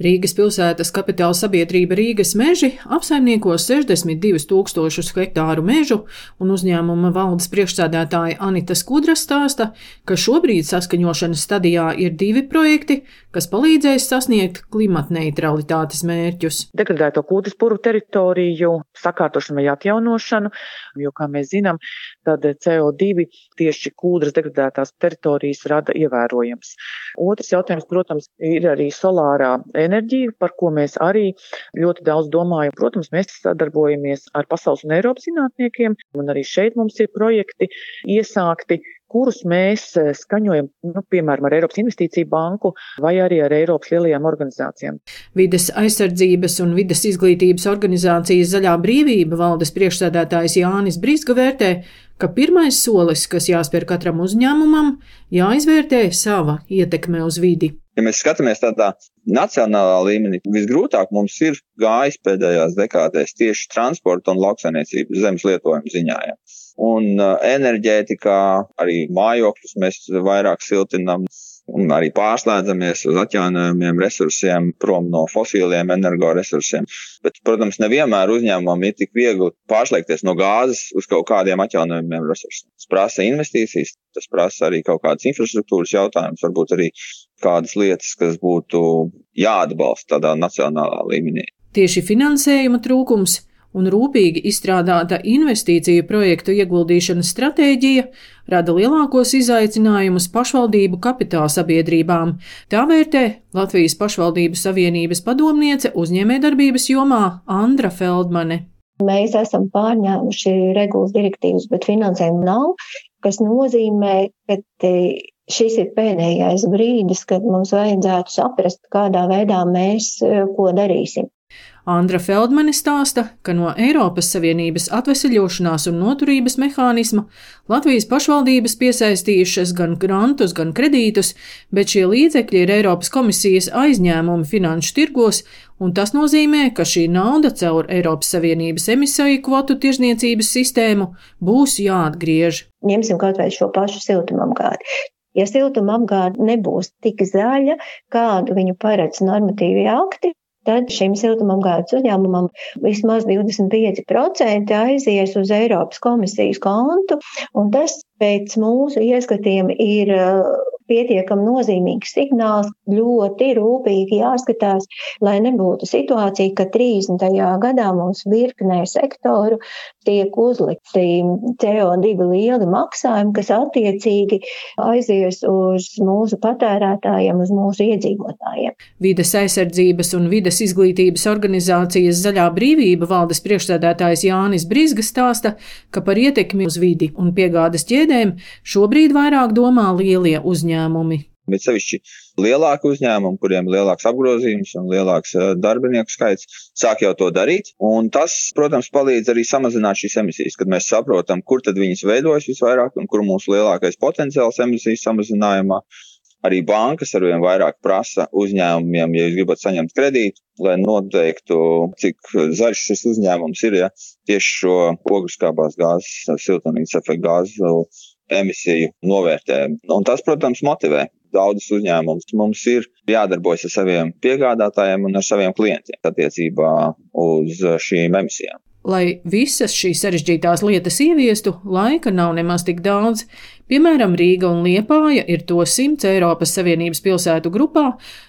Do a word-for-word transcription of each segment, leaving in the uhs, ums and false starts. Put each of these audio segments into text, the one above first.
Rīgas pilsētas kapitāla sabiedrība Rīgas meži apsaimniekos sešdesmit divus tūkstošus hektāru mežu, un uzņēmuma valdes priekšsēdētāja Anita Skudra stāsta, ka šobrīd saskaņošanas stadijā ir divi projekti, kas palīdzēs sasniegt klimatneitralitātes mērķus. Degradēto kūdras puru teritoriju sakārtošanu vai atjaunošanu, jo, kā mēs zinām, tad C O divi tieši kūdras degradētās teritorijas rada ievērojams. Otrs jautājums, protams, ir arī solārā enerģija, par ko mēs arī ļoti daudz domājam. Protams, mēs sadarbojamies ar pasaules un Eiropas zinātniekiem, un arī šeit mums ir projekti iesākti, kurus mēs skaņojam, nu, piemēram, ar Eiropas Investīciju banku vai arī ar Eiropas lielajām organizācijām. Vides aizsardzības un vides izglītības organizācijas Zaļā brīvība valdes priekšsēdētājs Jānis Brizga vērtē, ka pirmais solis, kas jāspēr katram uzņēmumam, jāizvērtē sava ietekme uz vidi. Ja mēs skatāmies tādā nacionālā līmenī, visgrūtāk mums ir gājis pēdējās dekādēs tieši transporta un lauksaimniecības zemes lietojuma ziņā. Ja. Un uh, enerģētikā arī mājokļus mēs vairāk siltinam un arī pārslēdzamies uz atjaunojumiem resursiem, prom no fosīliem energoresursiem. Bet, protams, nevienmēr uzņēmumam ir tik viegli pārslēgties no gāzes uz kaut kādiem atjaunojumiem resursiem. Tas prasa investīcijas, tas prasa arī kaut kādas infrastruktūras jautājumus, varbūt arī kādas lietas, kas būtu jāatbalsta tādā nacionālā līmenī. Tieši finansējuma trūkums un rūpīgi izstrādāta investīciju projektu ieguldīšanas stratēģija rada lielākos izaicinājumus pašvaldību kapitāla sabiedrībām. Tā vērtē Latvijas pašvaldību savienības padomniece uzņēmējdarbības jomā Andra Feldmane. Mēs esam pārņēmuši regulas direktīvas, bet finansējumu nav, kas nozīmē, ka šis ir pēdējais brīdis, kad mums vajadzētu saprast, kādā veidā mēs ko darīsim. Andra Feldmane stāsta, ka no Eiropas Savienības atveseļošanās un noturības mehānisma Latvijas pašvaldības piesaistījušas gan grantus, gan kredītus, bet šie līdzekļi ir Eiropas komisijas aizņēmumi finanšu tirgos, un tas nozīmē, ka šī nauda caur Eiropas Savienības emisiju kvotu tirzniecības sistēmu būs jāatgriež. Ņemsim kaut vai šo pašu siltumapgādi. Ja siltumapgāde nebūs tik zaļa, kādu viņu paredz normatīvie akti, tad šim siltumapgādes uzņēmumam vismaz divdesmit pieci procenti aizies uz Eiropas komisijas kontu, un tas pēc mūsu ieskatiem ir pietiekami nozīmīgs signāls, ļoti rūpīgi jāskatās, lai nebūtu situācija, ka trīsdesmitajā gadā mums virknē sektoru tiek uzlikti C O divi lieli maksājumi, kas attiecīgi aizies uz mūsu patērētājiem, uz mūsu iedzīvotājiem. Vides aizsardzības un vides izglītības organizācijas Zaļā brīvība valdes priekšsēdētājs Jānis Brizga stāsta, ka par ietekmi uz vidi un piegādes ķēdēm šobrīd vairāk domā lielie uzņēmumi. Bet sevišķi lielāki uzņēmumi, kuriem ir lielāks apgrozījums un lielāks darbinieku skaits, sāk jau to darīt. Un tas, protams, palīdz arī samazināt šīs emisijas, kad mēs saprotam, kur tad viņas veidojas visvairāk un kur mūsu lielākais potenciāls emisijas samazinājumā. Arī bankas arvien vairāk prasa uzņēmumiem, ja jūs gribat saņemt kredītu, lai noteiktu, cik zaļš šis uzņēmums ir, ja tieši šo ogļuskābās gāzes, siltumnīcas efekta gāzu emisiju novērtē. Un tas, protams, motivē daudzus uzņēmumus. Mums ir jādarbojas ar saviem piegādātājiem un ar saviem klientiem attiecībā uz šīm emisijām. Lai visas šīs sarežģītās lietas ieviestu, laika nav nemaz tik daudz. Piemēram, Rīga un Liepāja ir to simts Eiropas Savienības pilsētu grupā,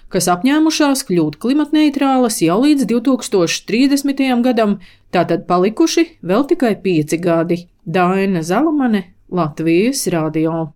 kas apņēmušās kļūt klimatneitrālas jau līdz divi tūkstoši trīsdesmitajam gadam, tātad palikuši vēl tikai pieci gadi. Daina Zalamane, Latvijas radio.